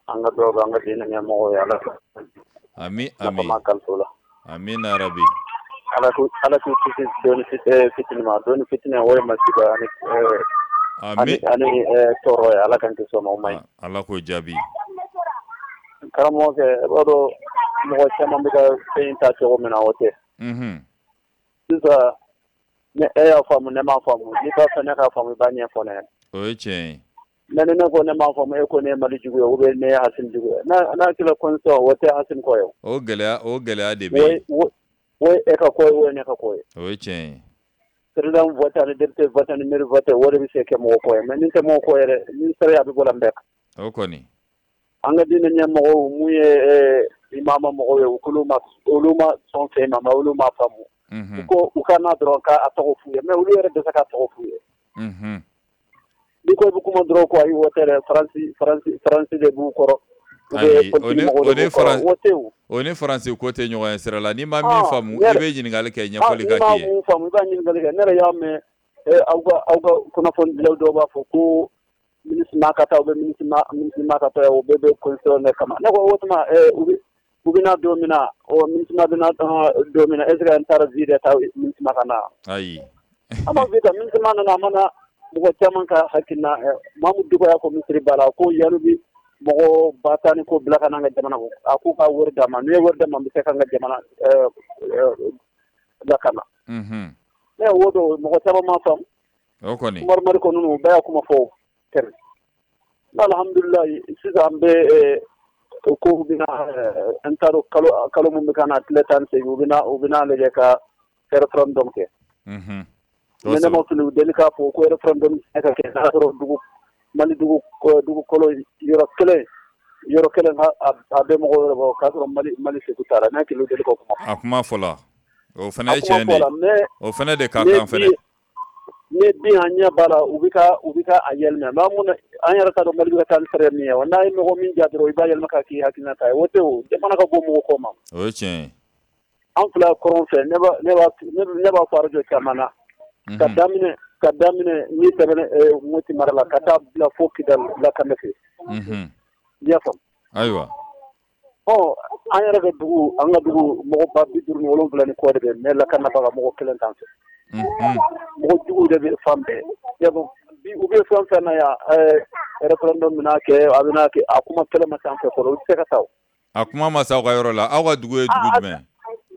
An ka dugawu kɛ an ka diinɛ ɲɛmɔgɔw ye Ala ka. Ami ami. Nafa ma kalifa u la. Amina rabi. Ala k'u Ala k'u kisi doni fitini ma doni fitini o ye masiba ani ami ani tɔɔrɔ ye Ala k'an kisi o ma o man ɲi. Ala k'o jaabi. Karamɔgɔkɛ i b'a dɔn mɔgɔ caman bɛ ka fɛn in ta cogo min na o tɛ. Unhun. Sisan ni e y'a faamu ne m'a faamu n'i b'a fɛ ne k'a faamu i b'a ɲɛfɔ ne ɲɛna. O ye tiɲɛ ye. Mais ni ne ko ne m'a faamu e ko ne ye Mali jugu ye ou bien ne ye Asimi jugu ye n'a n'a kɛra constitution o tɛ Asimi kɔ ye o. O gɛlɛya o gɛlɛya de bɛ yen. O ye e ka ko ye o ye ne ka ko ye. O ye tiɲɛ ye. Président voté ani député voté ani maire voté o de bɛ se kɛ mɔgɔ kɔ ye mais ni tɛ mɔgɔ kɔ ye dɛ ni sariya bɛ bɔ la bɛɛ kan. O kɔni. An ka diinɛ ɲɛmɔgɔw mun ye imama mɔgɔw ye olu ma olu ma sɔn fɛn ma mais olu ma faamu. U ko u ka na dɔrɔn k'a tɔgɔ f'u ye mais olu yɛrɛ dɛsɛ k'a tɔgɔ f'u ye. N'i ko i bɛ kuma dɔrɔn ko ayi o tɛ dɛ Faransi Faransi Faransi de b'u kɔrɔ. Ayi o ni o ni Faransi o ni Faransi ko tɛ ɲɔgɔn ye sira la n'i ma min faamu i bɛ ɲininkali kɛ ɲɛfɔli ka k'i ye. N'i ma mun faamu i b'a ɲininkali kɛ ne yɛrɛ y'a mɛn aw ka aw ka kunnafonidilaw dɔw b'a fɔ ko MINUSMA ka taa ou bien MINUSMA MINUSMA ka taa o bɛɛ bɛ constitution de kama ne ko o tuma u bɛ u bɛna don min na ɔ MINUSMA bɛna don min na est ce que an taara vie de ta MINUSMA ka na ayi an ma vie ta MINUSMA nana a mana mɔgɔ caman ka hakilina Mamudu Diko y'a fɔ misiri ba la ko yanni bi mɔgɔ ba tan ni ko bila ka na an ka jamana kɔ a k'u ka wari d'a ma n'u ye wari d'a ma n bɛ se k'an ka jamana lakana ne o don mɔgɔ caman ma faamu o kɔni Umaru Mariko ninnu u bɛɛ y'a kuma fɔ tɛmɛ Alhamdulilayi sisan an bɛ ko bɛna an t'a dɔn kalo kalo min bɛ ka na tile tan ni seegin u bɛna u bɛna lajɛ ka référendum kɛ. Unhun. Mais ne ma fili u deli k'a fɔ ko référendum tɛ se ka kɛ n'a sɔrɔ dugu Mali dugu dugukolo yɔrɔ kelen yɔrɔ kelen a bɛ mɔgɔ wɛrɛ bɔ k'a sɔrɔ Mali Mali segu t'a la n'a kelen deli k'o kuma. A kuma fɔla o fana ye tiɲɛ de ye o fana de ka kan fana. Ne bi an ɲɛ b'a la u bɛ ka u bɛ ka a yɛlɛma mais an mun an yɛrɛ t'a dɔn Mali bɛ ka taa ni sariya min ye wa n'a ye mɔgɔ min ja dɔrɔn i b'a yɛlɛma k'a k'i hakilina ta ye o tɛ o jamana ka bɔ mɔgɔ kɔ ma. O ye tiɲɛ ye. An fila kɔrɔn fɛ ne b'a ne b'a ne b'a fɔ arajo caman na. Ka daminɛ ka daminɛ ni tɛmɛna Moti mara la ka taa bila fo Kidali lakana fɛ. Unhun. I y'a faamu. Ayiwa. Ɔ an yɛrɛ ka dugu an ka dugu mɔgɔ ba bi duuru ni wolonwula ni kɔ de bɛ mais lakanabaga mɔgɔ kelen t'an fɛ. Mɔgɔ juguw de bɛ fan bɛɛ bi u bɛ fɛn fɛn na yan référendum bɛna kɛ a bɛna kɛ a kuma kɛlɛ ma s'an fɛ fɔlɔ u tɛ se ka taa o. A kuma ma s'aw ka yɔrɔ la aw ka dugu ye dugu jumɛn?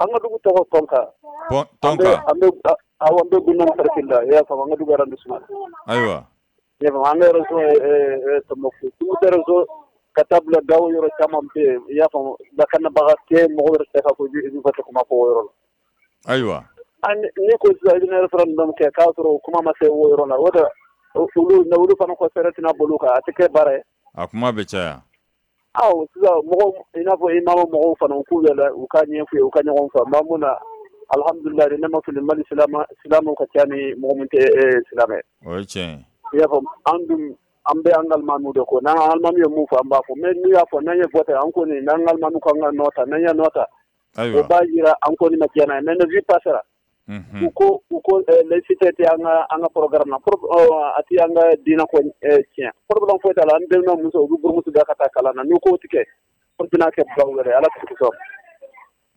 An ka dugu tɔgɔ Tɔnka. Tɔnka. An bɛ awɔ an bɛ Gunna cercle la i y'a faamu an ka dugu arrondissement. Ayiwa. I y'a faamu an ka région ye Tɔnbukutu Tumutu région ka taa bila Gawo yɔrɔ caman bɛ yen i y'a faamu lakanabaga tɛ mɔgɔ wɛrɛ tɛ ka fɔ i bɛ kuma fɔ o yɔrɔ la. Ayiwa. Ni ko sisan i bɛna référendum kɛ k'a sɔrɔ kuma ma se o yɔrɔ la o de olu olu fana ko fɛɛrɛ tɛna bolo kan a tɛ kɛ baara ye. A kuma bɛ caya. Awɔ sisan mɔgɔw i n'a fɔ imam mɔgɔw fana u k'u yɛlɛ u ka ɲɛf'u ye u ka ɲɔgɔn faamu maa mun na alhamdulilayi ne ma fili Mali silamɛ silamɛw ka ca ni mɔgɔ min tɛ silamɛ. O ye tiɲɛ ye. I y'a faamu an dun an bɛ an ka alimamiw de kɔ n'an ka alimami ye mun fɔ an b'a fɔ mais n'u y'a fɔ n'an ye vote an kɔni n'an ka alimami ko an ka nɔ ta n'an ye nɔ ta. Ayiwa. O b'a jira an kɔni ma diɲɛ n'a ye mais ne vie passera. U ko u ko laïcité tɛ an ka an ka programme na a tɛ an ka diinɛ ko tiɲɛ problème foyi t'a la an denna muso u bɛ burumuso da ka taa kalan na n'u k'o tigɛ o bɛna kɛ problème wɛrɛ Ala k'u kisi.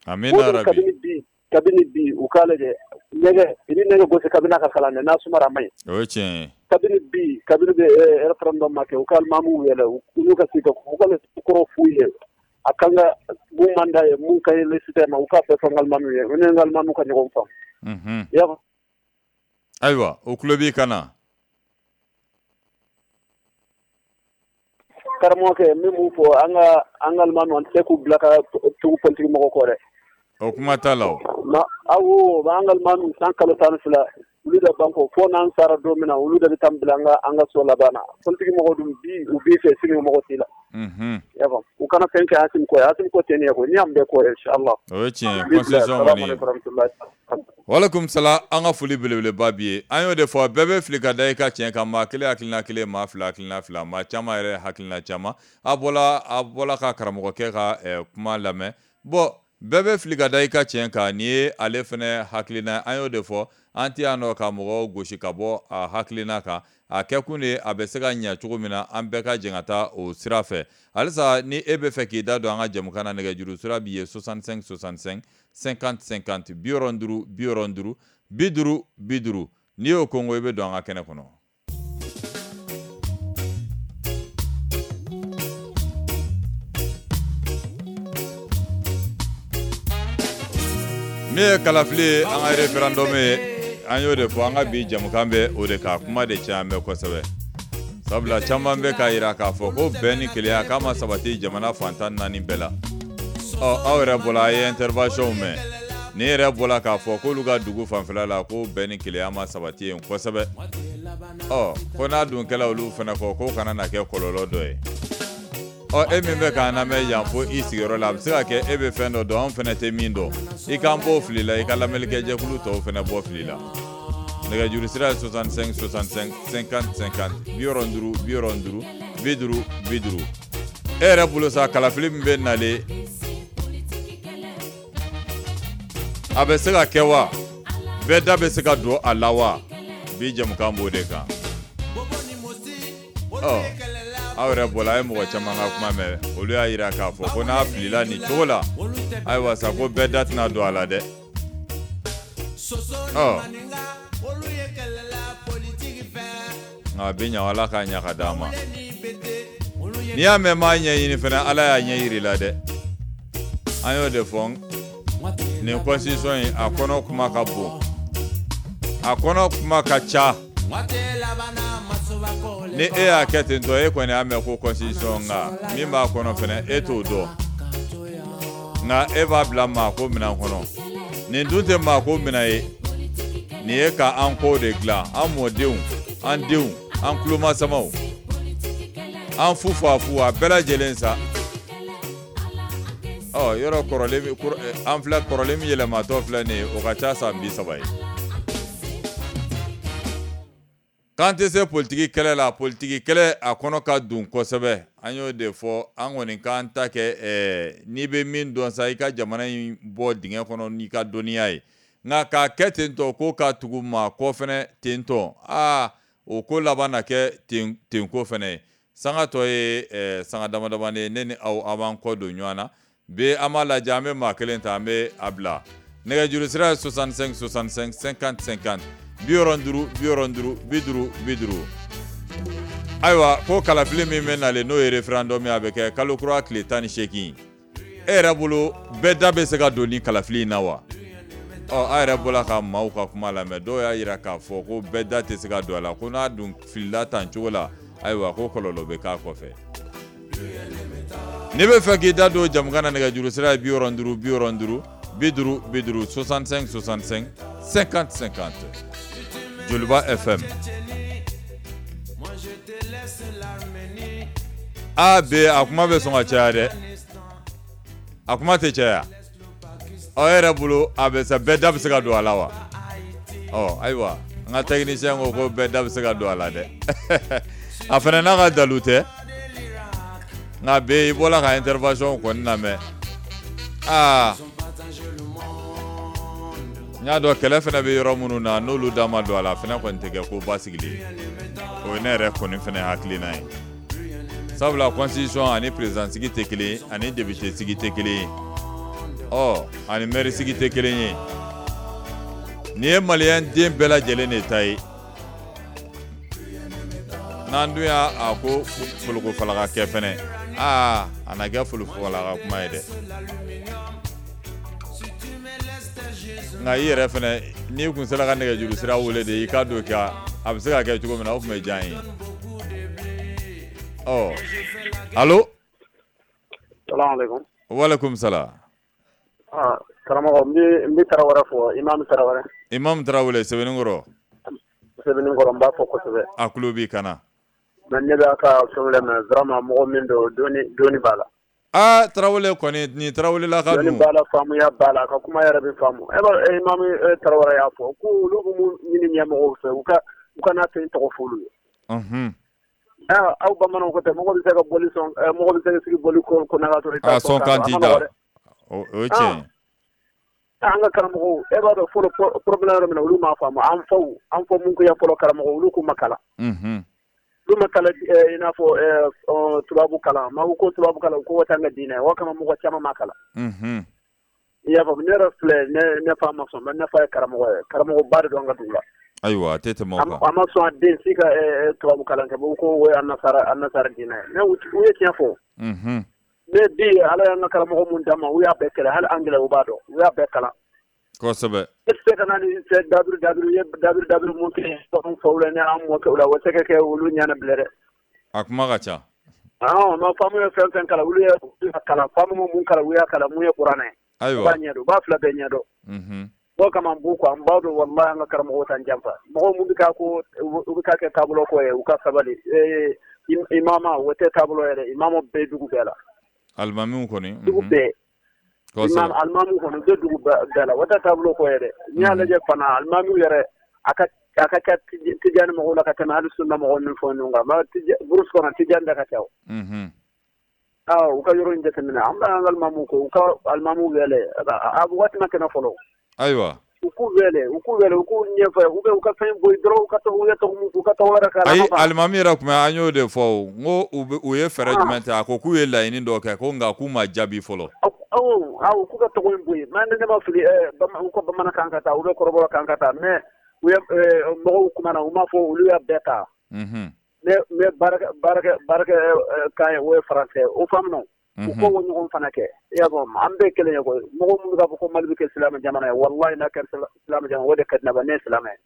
Amina rabi. Kabini bi kabini bi u k'a lajɛ nɛgɛ i ni nɛgɛ gosi kabini a ka kalan n'a sumara a ma ɲi. O ye tiɲɛ ye. Kabini bi kabini bɛ référendum ma kɛ u ka alimamuw yɛlɛ u n'u ka sigi ka u ka kɔrɔ f'u ye. A kan ka mun man d'a ye mun ka ɲi laïcité ma u k'a bɛɛ fɔ n alimamiw ye u ni n alimamiw ka ɲɔgɔn faamu. Unhun. Ayiwa o tulo b'i kan na. Karamɔgɔkɛ n bɛ mun fɔ an ka an ka alimamiw an tɛ se k'u bila ka tugu politique mɔgɔw kɔ dɛ. O kuma t'a la o. Awɔ an ka alimamiw san kalo tan ni fila olu de b'an kɔ fo n'an sara don min na olu de bɛ taa bila an ka an ka so laban na politique mɔgɔw dun bi u b'i fɛ sini mɔgɔ t'i la. Unhun. I y'a faamu u kana fɛn kɛ Asimi kɔ ye Asimi ko tɛ nin ye koyi n'i y'an bɛɛ kɔ ye inchallah. O ye tiɲɛ ye constitution kɔni. Walekum salam an ka foli belebeleba b'i ye an y'o de fɔ bɛɛ bɛ fili ka da i ka tiɲɛ kan maa kelen hakilina kelen maa fila hakilina fila maa caman yɛrɛ hakilina caman a bɔla a bɔla ka karamɔgɔkɛ ka kuma lamɛn bon bɛɛ bɛ fili ka da i ka tiɲɛ kan nin ye ale fana hakilina an y'o de fɔ an tɛ yan nɔ ka mɔgɔw gosi ka bɔ a hakilina kan a kɛkun de a bɛ se ka ɲɛ cogo min na an bɛɛ ka jɛ ka taa o sira fɛ halisa ni e bɛ fɛ k'i da don an ka jɛmukan na nɛgɛjuru sira b'i ye soixante-cinq soixante-cinq cinquante cinquante bi wɔɔrɔ duuru bi wɔɔrɔ duuru bi duuru bi duuru n'i y'o kɔngo i bɛ don an ka kɛnɛ kɔnɔ. Min ye kalafili ye an ka référendum ye an y'o de fɔ an ka bi jɛmukan bɛ o de kan kuma de caya bɛ kosɛbɛ sabula caman bɛ k'a jira k'a fɔ ko bɛn ni kelenya k'a ma sabati jamana fantan naani bɛɛ la ɔ aw yɛrɛ bɔra a ye intervention mɛn nin yɛrɛ bɔra k'a fɔ k'olu ka dugu fanfɛla la ko bɛn ni kelenya ma sabati yen kosɛbɛ ɔ ko n'a dun kɛla olu fana kɔ k'o kana na kɛ kɔlɔlɔ dɔ ye ɔ e min bɛ k'an lamɛn yan fo i sigiyɔrɔ la a bɛ se ka kɛ e bɛ fɛn dɔ dɔn anw fana tɛ min dɔn i k'an bɔ fili la i ka lamɛnnikɛjɛkulu tɔw fana bɔ fili la nɛgɛjuru sira ye soixante-cinq soixante-cinq cinquante cinquante bi wɔɔrɔ duuru bi wɔɔrɔ duuru bi duuru bi duuru e yɛrɛ bolo sa kalafili min bɛ nalen a bɛ se ka kɛ wa bɛɛ da bɛ se ka don a la wa bi jɛmukan b'o de kan ɔ aw yɛrɛ bɔla a ye mɔgɔ caman ka kuma mɛn olu y'a jira k'a fɔ ko n'a filila nin cogo la ayiwa sa ko bɛɛ da tɛna don a la dɛ ɔ nka a bɛ ɲa Ala k'a ɲa ka d'an ma n'i y'a mɛn m'a ɲɛɲini fana Ala y'a ɲɛ yir'i la dɛ an y'o de fɔ nin constitution in a kɔnɔ kuma ka bon a kɔnɔ kuma ka ca Ni e y'a kɛ ten tɔ, e kɔni y'a mɛn ko constitution, nka min b'a kɔnɔ fɛnɛ e t'o dɔn, nka e b'a bila maa ko minɛn kɔnɔ. Nin dun tɛ maa ko minɛn ye, nin ye ka an kow de dilan, an mɔdenw, an denw, an kulomasamaw, an fufafu, a bɛɛ lajɛlen sa. Ɔ yɔrɔ kɔrɔlen, an filɛ kɔrɔlen min yɛlɛmatɔ filɛ nin ye, o ka ca san bi saba ye. K'an tɛ se politiki kɛlɛ la, politiki kɛlɛ a kɔnɔ ka dun kosɛbɛ. An y'o de fɔ, an kɔni k'an ta kɛ ɛɛ n'i bɛ min dɔn sa, i ka jamana in bɔ dingɛ kɔnɔ n'i ka dɔnniya ye. Nka k'a kɛ ten tɔ ko ka tugu maa kɔ fɛnɛ ten tɔ, aa o ko laban na kɛ ten ten ko fɛnɛ ye. Sanga tɔ ye ɛɛ sanga dama damani ye, ne ni aw a b'an kɔ don ɲɔgɔn na. Bi an b'a lajɛ, an bɛ maa kelen ta, an bɛ a bila. Nɛgɛjuru sira ye soixante-cinq soixante-cinq cinquante cinquante, bi wɔɔrɔ duuru bi wɔɔrɔ duuru bi duuru bi duuru. Ayiwa, ko kalafili min bɛ nalen, n'o ye référendum ye, a bɛ kɛ kalo kura tile tan ni seegin. E yɛrɛ bolo, bɛɛ da bɛ se ka don ni kalafili in na wa? Ɔ a yɛrɛ bɔra ka maaw ka kuma lamɛn, dɔw y'a jira k'a fɔ ko bɛɛ da tɛ se ka don a la, ko n'a dun filila tan cogo la, ayiwa ko kɔlɔlɔ bɛ k'a kɔfɛ. N'i bɛ fɛ k'i da don jamukan na, nɛgɛjuru sira ye bi wɔɔrɔ duuru bi wɔɔrɔ duuru bi duuru bi duuru, soixante-cinq soixante-cinq cinquante cinquante. Joliba F M. A B, a kuma bɛ sɔn ka caya dɛ, a kuma tɛ caya. Ɔ e yɛrɛ bolo, a bɛ sa bɛɛ da bɛ se ka don a la wa? Ɔ ayiwa, an ka technicien ko ko bɛɛ da bɛ se ka don a la dɛ. A fana n'a ka dalu tɛ, nka bɛ i bɔra ka intervention kɔni lamɛn. Aa n y'a dɔn kɛlɛ fana bɛ yɔrɔ minnu na, n'olu da ma don a la, fana kɔni tɛ kɛ ko basigilen ye. O ye ne yɛrɛ kɔni fana hakilina ye. Sabula constitution ani président sigi tɛ kelen ye, ani député sigi tɛ kelen ye, ɔ ani maire sigi tɛ kelen ye. Nin ye maliyɛn den bɛɛ lajɛlen de ta ye. N'an dun y'a a ko foloko falaka kɛ fɛnɛ, aa a na kɛ foloko falaka kuma ye dɛ. Nka i yɛrɛ fɛnɛ, n'i kun sera ka nɛgɛjuru sira wele de, i ka don ka a bɛ se ka kɛ cogo min na, o tun bɛ diya n ye. Ɔ allo. Salaamaaleykum. Walekum salam. Ah, karamɔgɔ, n bɛ n bɛ Tarawele fɔ, Imam Tarawele. Imam Tarawele, Sɛbɛnninkɔrɔ. Sɛbɛnninkɔrɔ, n b'a fɔ kosɛbɛ. A tulo b'i kana. Mais ne b'a ka fɛnw lamɛn, vraiment mɔgɔ min don, dɔnni dɔnni b'a la. Aa Tarawele kɔni, nin Tarawele la ka dun. Dɔnni b'a la, faamuya b'a la, a ka kuma yɛrɛ bɛ faamu. E b'a dɔn Imam Tarawele y'a fɔ ko olu bɛ mun ɲini ɲɛmɔgɔw fɛ, u ka u kana fɛn tɔgɔ fɔ olu ye. Unhun. Aw bamananw ko tɛ, mɔgɔ bɛ se ka boli sɔn, mɔgɔ bɛ se ka sigi boli ko ko n'a ka sɔrɔ i t'a sɔn kan t'i da. O ye tiɲɛ ye. An ka karamɔgɔw, e b'a dɔn fɔlɔ problème yɔrɔ min na, olu m'a faamu. An faw, an fɔ mun kɛ fɔlɔ karamɔgɔw, olu k'u ma kalan. Unhun. Olu ma kalan i n'a fɔ tubabu kalan. Maa ko tubabu kalan, ko o t'an ka diinɛ ye. O kama mɔgɔ caman ma kalan. Unhun. I y'a faamu, ne yɛrɛ filɛ, ne ne fa ma sɔn, ne fa ye karamɔgɔ ye, karamɔgɔba de don an ka dugu la. Ayiwa, a tɛ tɛmɛ o kan. A ma sɔn a den si ka tubabu kalan kɛ, ko o ye an nasara an nasara diinɛ ye. Mais u ye tiɲɛ fɔ. Unhun. Ne bi Ala y'an ka karamɔgɔ mun d'an ma, u y'a bɛɛ kɛlɛ, hali anglais u b'a dɔn, u y'a bɛɛ kalan. Kosɛbɛ. E tɛ se ka na ni dabiri dabiri ye dabiri dabiri mun kɛ anw faw la ni an mɔkɛw la, o tɛ kɛ olu ɲɛna bilen dɛ. A kuma ka ca. Ɔn, ma faamu ye fɛn fɛn kalan, olu ye kalan, faamu mun kalan, u y'a kalan, mun ye kuranɛ ye. Ayiwa. U b'a ɲɛdɔn, u b'a fila bɛɛ ɲɛdɔn. Unhun. O kama n b'u kɔ, an b'a dɔn walahi an ka karamɔgɔw t'an janfa. Mɔgɔw mun bɛ k'a ko u bɛ k'a kɛ taabolo ko ye, u ka sabali. Ee imama, o tɛ taabolo yɛrɛ, imama bɛɛ dugu bɛɛ la. Alimamiw kɔni. Dugu bɛɛ. Imam alimamiw kɔni, u bɛ dugu bɛɛ la, o tɛ taabolo ko ye dɛ. N'i y'a lajɛ fana, alimamiw yɛrɛ, a ka a ka ca Tijani mɔgɔw la ka tɛmɛ hali sunna mɔgɔw ni fɛn ninnu kan. Brousse kɔnɔ Tijani da ka ca o. Unhun. Ah, u ka yɔrɔ in jateminɛ, an bɛ an ka alimamiw kɔ, u ka alimamiw wele, a waati ma kɛnɛ fɔlɔ. Ayiwa. U k'u wele, u k'u wele, u k'u ɲɛfɔ, u bɛ u ka fɛn bɔ yen dɔrɔn, u ka tɔgɔ, u ye tɔgɔ mun, u ka tɔgɔ wɛrɛ k'a la. Ayi, alimami yɛrɛ tun bɛ, an y'o de fɔ o, n ko u bɛ u ye fɛɛrɛ jumɛn ta, a ko k'u ye laɲini dɔ kɛ, ko nka k'u ma jaabi fɔlɔ. Awɔ, awɔ, k'u ka tɔgɔ in bɔ yen. Mais ne ma fili, u ka bamanankan ka taa, u bɛ kɔrɔbɔrɔ kan ka taa, mais u ye mɔgɔw kumana, u m'a fɔ olu y'a bɛɛ ta. Unhun. Mais mais baarakɛ baarakɛ baarakɛ kan ye, o ye français, o faamu. U ko o ɲɔgɔn fana kɛ. I y'a faamu, an bɛɛ kelen ye koyi. Mɔgɔ minnu b'a fɔ ko Mali bɛ kɛ silamɛ jamana ye, walahi n'a kɛra silamɛ jamana, o de ka di ne ye, ne ye silamɛ ye.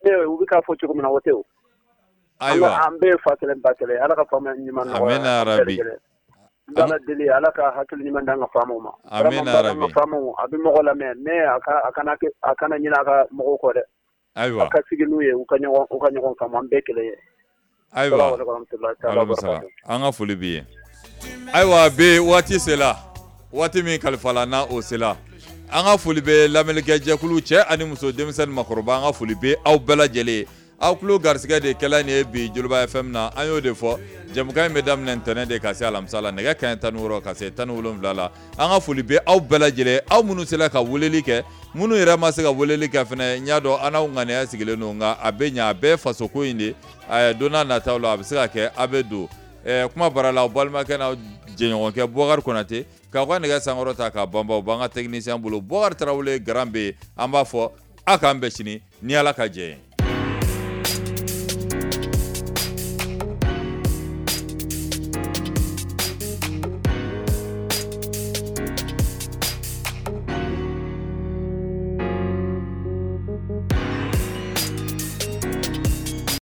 Ne u bɛ k'a fɔ cogo min na, o tɛ o. Ayiwa an bɛɛ ye fa kelen ba kelen, Ala ka faamuya ɲuman nɔgɔya. Amina yarabi. N b'Ala deli Ala ka hakili ɲuman d'an ka faamaw ma. Amina yarabi. An ka faamaw a bɛ mɔgɔ lamɛn mais a ka a kana a kana ɲinɛ a ka mɔgɔw kɔ dɛ. Ayiwa. A ka sigi n'u ye u ka ɲɔgɔn u ka ɲɔgɔn faamu, an bɛɛ kelen ye. Ayiwa. An ka foli b'i ye. Ayiwa bi waati sera, waati min kalifala n'a o sera, an ka foli bɛ lamɛnnikɛjɛkulu cɛ ani muso, denmisɛnnin makɔrɔba, an ka foli bɛ aw bɛɛ lajɛlen. Aw tulo garisɛgɛ de kɛla nin ye bi Joliba F M na, an y'o de fɔ. Jɛmukan in bɛ daminɛ ntɛnɛn de ka se alamisa la, nɛgɛ kanɲɛ tan ni wɔɔrɔ ka se tan ni wolonwula la. An ka foli bɛ aw bɛɛ lajɛlen, aw minnu sera ka weleli kɛ, minnu yɛrɛ ma se ka weleli kɛ fɛnɛ, n y'a dɔn an n'aw ŋaniya sigilen don, nka a bɛ ɲɛ, a bɛɛ fasoko in de. Don n'a nataw la a bɛ se ka kɛ a bɛ don. Kuma bara la, aw balimakɛ n'aw jɛɲɔgɔnkɛ Bubakari Konate k'aw ka nɛgɛ sankɔrɔ ta k'a banba, o b'an ka technicien bolo Bubakari Tarawele Garan bɛ yen. An b'a fɔ a k'an bɛn sini ni Ala ka jɛ ye.